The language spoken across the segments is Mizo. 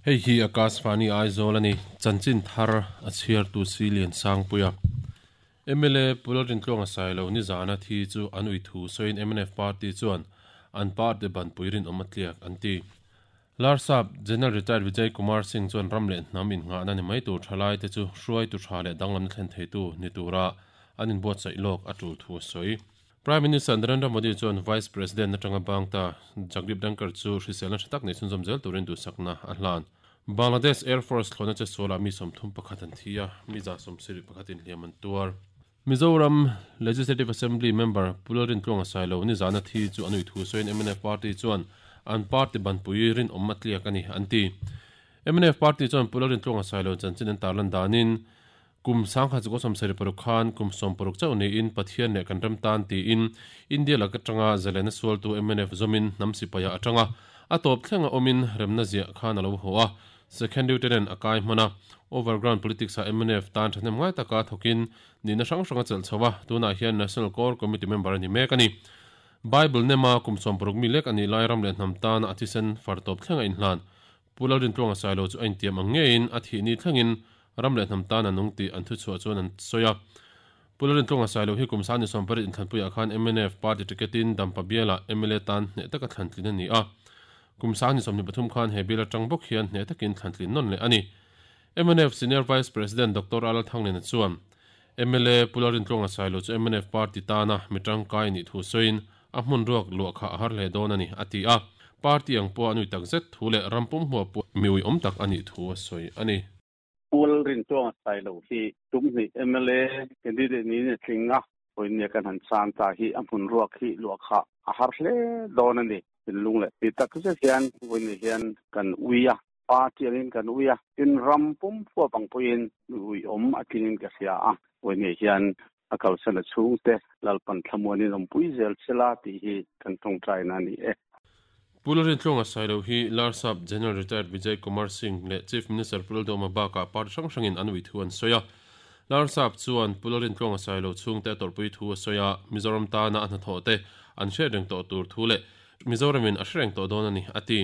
Hei hi Akashvani Aizawl a ni. Chanchin thar a chhiartu si Liansangpuia. Mla Pu Lalrintluanga Sailo nizana thi chu an ui thu sawiin mnf party chuan an party banpui rinawm a tliak an ti. Larsap General Retired Vijay Kumar Singh chuan ram leh hnam innghahna ni mai tur thalaite chu hruaitu tha leh danglamna thlen theitu ni tura an inbuatsaih lawk a tul thu a sawi. Prime Minister Narendra Modi chuan Vice President atanga bang ta Jagdeep Dhankhar chu hriselna tha tak nei chhunzawm zel turin duhsakna a hlan. Bangladesh Air Force thlawhna che sualah mi 31 an thi a, mi 71 in hliam an tuar. Mizoram Legislative Assembly member Pu Lalrintluanga Sailo nizana thi chu an ui thu sawiin mnf party chuan an party banpui rinawm a tliak a ni an ti. Mnf party chuan Pu Lalrintluanga Sailo chanchin an tarlan danin kum 1976 khan kum 60 chauh niin Pathian leh kan ram tan tiin India lak atanga zalena sualtu mnf zawmin hnam sipaia atanga a tawp thlenga awmin remna ziah khan a lo haw a. Second Lieutenant a kai hman a, Overground Politics ah mnf tan thahnem ngai taka thawkin nihna hrang hrang a chelh chho a, tunah hian National Core Committee member a ni mek a ni. Bible nema kum 60 mi lek a nih lai ram leh hnam tana a thisen far tawp thleng a inhlan. Pu Lalrintluanga Sailo chu a intiam ang ngeiin a thih ni thlengin ram leh hnam tan a nung tih an thuchhuah chuan an sawi a. Pu Lalrintluanga Sailo hi kum 28 inthlanpuiah khan mnf party ticket-in Dampa bialah mla tan hneh taka thlantlin a ni a. Kum 23 khan he bial atang bawk hian hneh takin thlantlin nawn leh a ni. Mnf Senior Vice President Doctor Alal Thanglena chuan mla Pu Lalrintluanga Sailo chu mnf party tana mi tangkai nih thu sawiin a hmun ruak luah kha a har hle dawn a ni, a ti a. Party ang pawh a nui tak zet thu leh ram pum hmuah pawh mi uiawm tak a nih thu a sawi a ni. Pu Lalrintluanga Sailo hi tum hnih mla candidate niin a tling a, vawinia kan han chang ta hi a hmun ruak hi luah kha a har hle dawn a ni. Thinlung leh ti tak zet hian vawinia hian kan ui a, party angin kan ui a, tin ram pum huap ang pawhin mi uiawm a tlingin ka hria a, vawinia hian a kalsan a chhungte Lalpan thlamuanin awmpui zel sela tih hi kan tawngtaina a ni e. Pu Lalrintluanga Sailo hi Larsap General Retired Vijay Kumar Singh leh Chief Minister Pu Lalduhoma bakah party hrang hrangin an ui thu an sawi a. Larsap chuan Pu Lalrintluanga Sailo chhungte a tawrhpui thu a sawi a, Mizoram tana a hnathawh te an hriat reng tawh tur thu leh Mizoramin a hre reng tawh dawn a ni, a ti.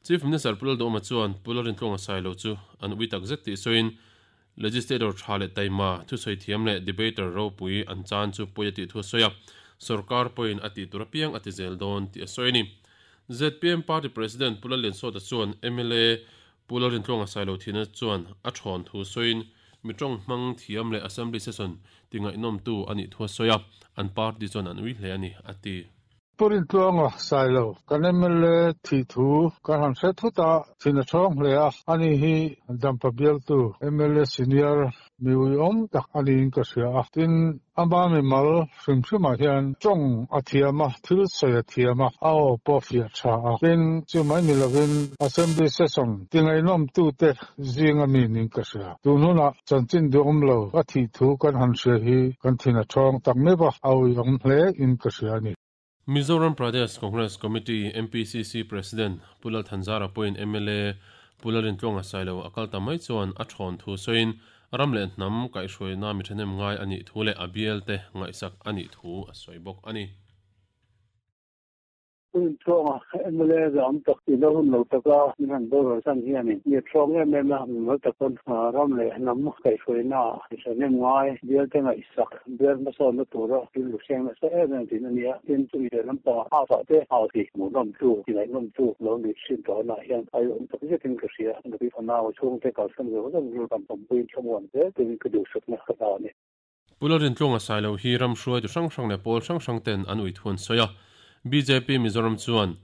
Chief Minister Pu Lalduhoma chuan Pu Lalrintluanga Sailo chu an ui takzet tih sawiin, Legislator tha leh taima, thusawi thiam leh debater ropui an chan chu pawi a tih thu a sawi a, sorkar pawhin a tih tur apiang a ti zel dawn tih a sawi a ni. Zpm Party President Pu Lalliansawta chuan mla Pu Lalrintluanga Sailothina chuan a thawn thu sawiin mi tawng hmang thiam leh Assembly Session ti ngaihnawmtu a nih thu a sawi a, an party chuan an ui hle a ni, a ti. Pu Rintluanga Sailo, kan mla thih thu kan han hre thut a, thin a thawng hle a, ani hi Dampa bialtu mla senior mi uiawm tak a niin ka hria a, tin ama mimal hrim hrimah hian tawng a thiam a, thil sawi a thiam a, a aw pawh a fiah tha a, tin chumai ni lovin Assembly session ti ngaihnawmtute zinga mi niin ka hria. Tun hunah chanchin duhawm lo a thih thu kan han hria hi kan thin a thawng tak meuh a, a uiawm hle in ka hria a ni. Mizoram Pradesh Congress Committee, MPCC, President Pu Lal Thanzara pawhin mla Pu Lalrintluanga Sailo a kal ta mai chuan a thawn thu sawiin ram leh hnam kaihhruaina mi thahnem ngai a nih thu leh a bialte ngaihsak a nih thu a sawi bawk a ni. Hun thluanga mla zam tak tihna hun lo taka min han boral san hianin mi a thluang em em a, mimal takin ram leh hnam kaihhruaina ah hnem ngai, bialte ngaihsak, bial hmasawnna tura rilru hreng nasa em em thin a ni a. Tin, chumi leh lampang half ah te hau ti hmuhnawmtu, ti ngaihnawmtu lo ni thin tawh anah hian a awm tak zetin ka hria. Nupi fanau chhungte kalsan zawk zawk rilru kan awmpuiin thlamuan zel turin ka duhsakna ka ta a ni. Pu Lalrintluanga Sailo hi ram hruaitu hrang hrang leh pawl hrang hrang ten an ui thu an sawi a. Bjp Mizoram chuan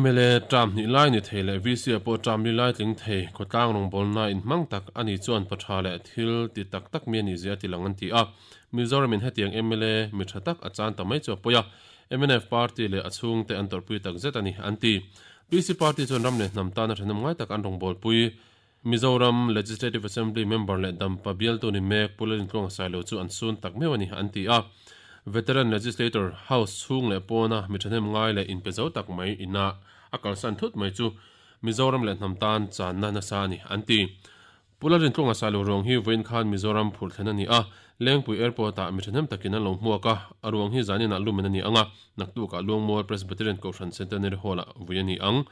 mla term hnih lai ni thei leh VC ah pawh term li lai tling thei khawtlang rawngbawlna inhmang tak a ni chuan pa tha leh thil ti tak tak mi a ni zia a ti lang an ti a. Mizoram in hetiang mla mi tha tak a chan ta mai chu a pawi a. Mnf party leh a chhungte an tawrhpui tak zet a ni an ti. PC party chuan ram leh hnam tana thahnawm ngai tak an rawngbawlpui. Mizoram Legislative Assembly member leh Dampa bialtu ni mek Pu Lalintluanga Sailo chu an sun tak meuh a ni, an ti a. Veteran Legislator House chhung leh pawna mi thahnem ngai leh inpe zo tak mai ina a kalsan thut mai chu Mizoram leh hnam tan channa nasa a ni, an ti. Pu Lalintluanga Sailo ruang hi vawiin khan Mizoram phurh thlen a ni a, Lengpui Airport-ah mi thahnem takin an lo hmuak a, a ruang hi zaninah lumen a ni ang a, naktukah Luangmual Presbyterian Kohhran Centenary Hall-ah vui a ni ang.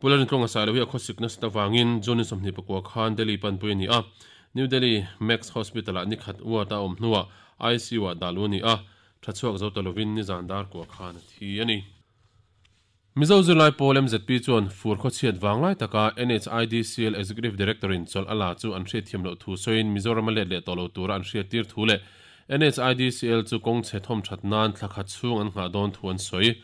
Pu Lalrintluanga Sailo hi a khawsik nasat avangin June ni 24 khan Delhi panpui a ni a, New Delhi Max Hospital-ah ni khat ward a awm hnuah ICU-ah dah luh a ni a, tha chhuak zo ta lovin nizan dar kua khan a thi a ni. Mizo zirlai pawl MZP chuan fur khawchhiat vanglai taka NHIDCL Executive Director-in chawlh a la chu an hriatthiam loh thu sawiin Mizoram a let leh tawh lo tura an hriattir thu leh NHIDCL chu kawng chhe thawm that nan thla khat chhung an nghah dawn thu an sawi.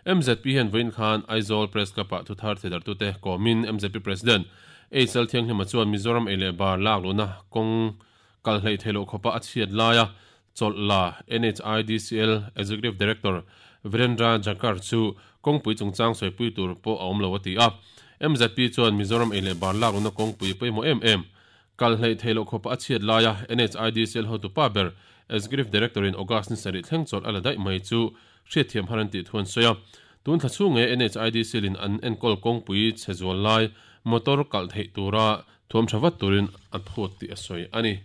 MZP hian vawiin khan Aizawl Press Club-ah thuthar theidartute kawmin MZP President HL Thianghlima chuan Mizoram ei leh bar lak luhna kawng kal hleih theih loh khawpa a chhiat laia chawlh la NHIDCL Executive Director Virendra Jakhar chu kawngpui chungchang sawipui tur pawh a awm lo a ti a. MZP chuan Mizoram ei leh bar lak luhna kawngpui pawimawh em em kal hleih theih loh khawpa a chhiat laia NHIDCL hotupa ber Executive Director-in August ni sarih thleng chawlh a la daih mai chu hriatthiam har an tih thu an sawi a. Tun thla chhung nge NHIDCL-in an enkawl kawngpui chhe zual lai motor kalh theih tura thuam tha vat turin a phut tih a sawi a ni.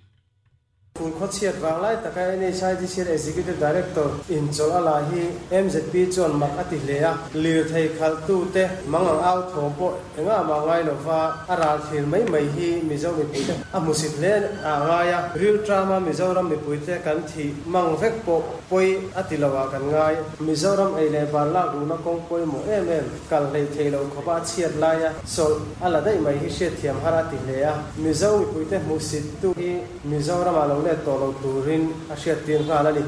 Fur khawchhiat vang lai taka NHIDCL Executive Director in chawlh a la hi MZP chuan mak a ti hle a, lirthei khalhtute mangang au thawm pawh engah mah ngai lova a ral thlir mai mai hi Mizo mipuite a hmusit hle a ngai a, rilṭama Mizoram mipuite kan thih mang vek pawh pawi a ti lo ah kan ngai. Mizoram ei leh bar lak luhna kawng pawimawh em em kal hleih theih loh khawpa a chhiat laia chawlh a la daih mai hi hriatthiam har a ti hle a, Mizo mipuite hmuhsit tu hi Mizoramah lo let tawh lo turin a hriattir nghal a ni.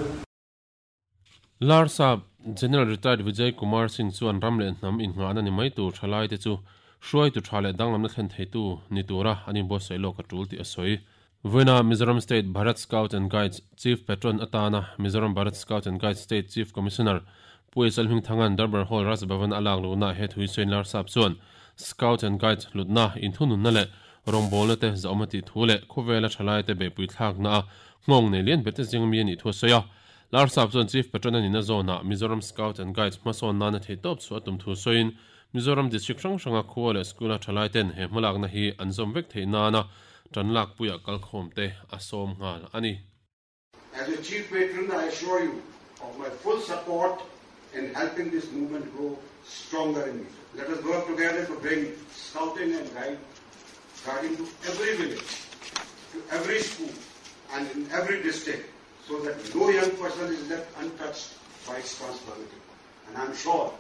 Larsap General Retired Vijay Kumar Singh chuan ram leh hnam innghahna ni mai tur thalaite chu hruaitu tha leh danglamna thlen theitu ni tura an inbuatsaih lawk a tul tih a sawi. Vawiina Mizoram State Bharat Scout and Guides Chief Patron atana Mizoram Bharat Scout and Guides State Chief Commissioner Pu Esal Hmingthanga'n Darbar Hall Raj Bhavan a lak luhna he thui sawiin Larsap chuan Scout and Guides hlutna, inthununna leh rawngbawlna te zahawm a tih thu leh khawvela thalaite beihpui thlakna a nghawng nei lian berte zing mi a nih thu a sawi a. Larsap chuan Chief Patron a nihna zawnah Mizoram Scout and Guides hmasawn nana theihtawp chhuah a tum thu sawiin Mizoram District hrang hranga khua leh school-a thalaiten he hmalakna hi an zawm vek theih nana tan lakpuiah kalkhawmte a sawm nghal a ni. As a Chief Patron, I assure you of my full support in helping this movement grow stronger in Mizoram. Let us work together to bring scouting and guide, guiding to every village, to every school and in every district so that no young person is left untouched by its transformative power. And I'm sure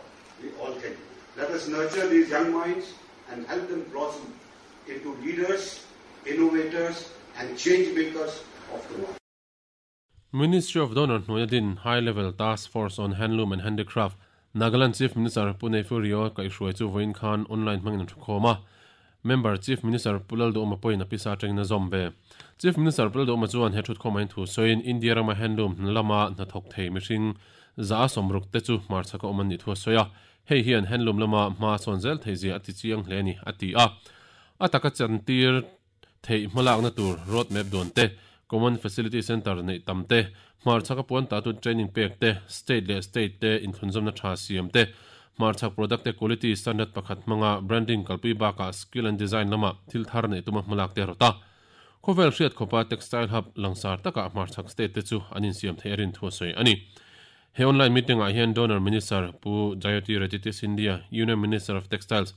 we all can do it. Let us nurture these young minds and help them blossom into leaders, innovators and change makers of tomorrow. Ministry of Donor hnuaia din High Level Task Force on Handloom and Handicraft, Nagaland Chief Minister Pu Neiphiu Rio kaihhruai chu vawiin khan online hmangin an thukhawm a. Member Chief Minister Pu Lalduhawma pawhin a pisa atangin a zawm ve. Chief Minister Pu Lalduhawma chuan he thutkhawmah hian thu sawiin India rama handloom hna lama hnathawk thei mihring 160 te chu hmarchhaka awm an nih thu a sawi a. Hei hian handloom lama hma sawn zel theih zia a ti chiang hle a ni, a ti a. A taka chantir theih hmalakna tur road map duan te, Common Facility Centre neih tam te, hmarchhaka puan tatu training pek te, state leh state te inthlunzawmna tha siam te, hmarchhak product te quality standard pakhat hmanga branding kalpui bakah skill and design lama thil thar neih tuma hmalak te a rawt a. Khawvel hriat khawpa textile hub langsar takah hmarchhak state te chu an insiam theih a rin thu a sawi a ni. He online meeting ah hian Donor Minister Pu Jyotiraditya Scindia, Union Minister of Textiles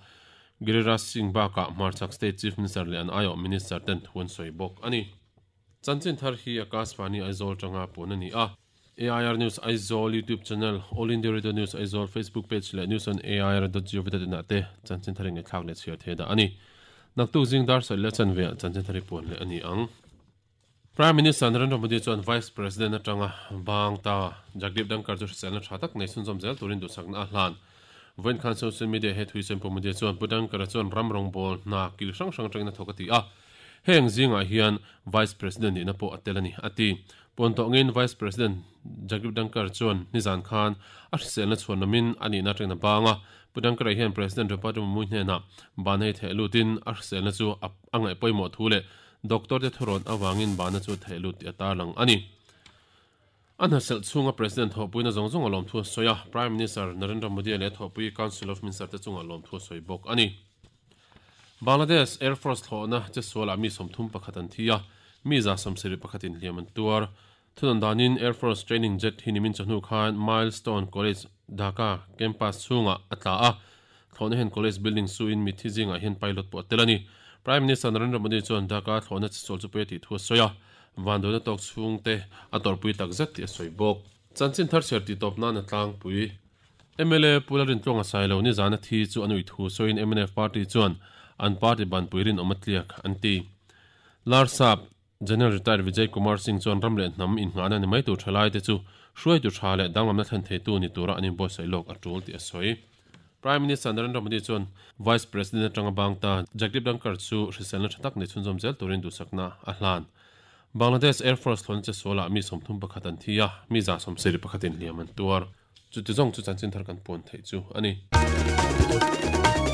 Giriraj Singh bakah hmarchhak State Chief Minister leh an aiawh Minister ten thu an sawi bawk a ni. Chanchin thar hi Akashvani Aizawl tanga pun a ni a. AIR News Aizawl YouTube channel, All India Radio News Aizawl Facebook page leh News on AIR dot gov dot in ah te chanchin thar ingaihthlak leh chhiar thei dah a ni. Naktuk zing dar sawi leh chanve ah chanchin thar hi puan leh a ni ang. Prime Minister Narendra Modi chuan Vice President atanga bang ta Jagdeep Dhankhar chu hriselna tha tak nei chhunzawm zel turin duhsakna a hlan. Vawiin khan social media he thui Sempu Modi chuan Pu Dhankhar-a chuan ram rawngbawl hna kil hrang hrang atangin a thawk a ti a, heng zingah hian Vice President nihna pawh a tel a ni, a ti. Puan tawh ngeiin Vice President Jagdeep Dhankhar chuan nizan khan a hriselna chhuan lamin a nihna atangin a bang a, Pu Dhankhar-a hian President Draupadi Murmu hnenah ban hei theh lutin a hriselna chu a ngaih pawimawh thu leh Doctor te thurawn avangin bana chu theih lut tih a tarlang a ni. A hnaselh chhunga President thawhpuina zawng zawng a lawmthu a sawi a, Prime Minister Narendra Modi leh thawhpui Council of Minister te chungah lawmthu a sawi bawk a ni. Bangladesh Air Force thlawhna chesualah mi 31 an thi a, mi 71 in hliam an tuar. Thunawn danin Air Force training jet hi nimin chawhnu khan Milestone College, Dhaka campus chhungah a tla a. Thlawhna hian college building su in mitthi zingah hian pilot pawh a tel a ni. Prime Minister Narendra Modi chuan Dhaka thlawhna che sual chu pui a tih thu a sawi a, vanduaina tawk chhungte a tawrhpui tak zet tih a sawi bawk. Chanchin thar chhiar tih tawp nan a tlangpui. Mla Pu Lalrintluanga Sailo nizana thi chu an ui thu sawiin mnf party chuan an party banpui rinawm a tliak an ti. Larsap General Retired Vijay Kumar Singh chuan ram leh hnam innghahna ni mai tur thalaite chu hruaitu tha leh danglamna thlen theitu ni tura an inbuatsaih lawk a tul tih a sawi. Prime Minister Narendra Modi chuan Vice President atanga bang ta Jagdeep Dhankhar chu hriselna tha tak nei chhunzawm zel turin duhsakna a hlan. Bangladesh Air Force thlawhna che sualah mi 31 an thi a, mi 71 in hliam an tuar. Chuti zawng chu chanchin thar kan puan theih chu a ni.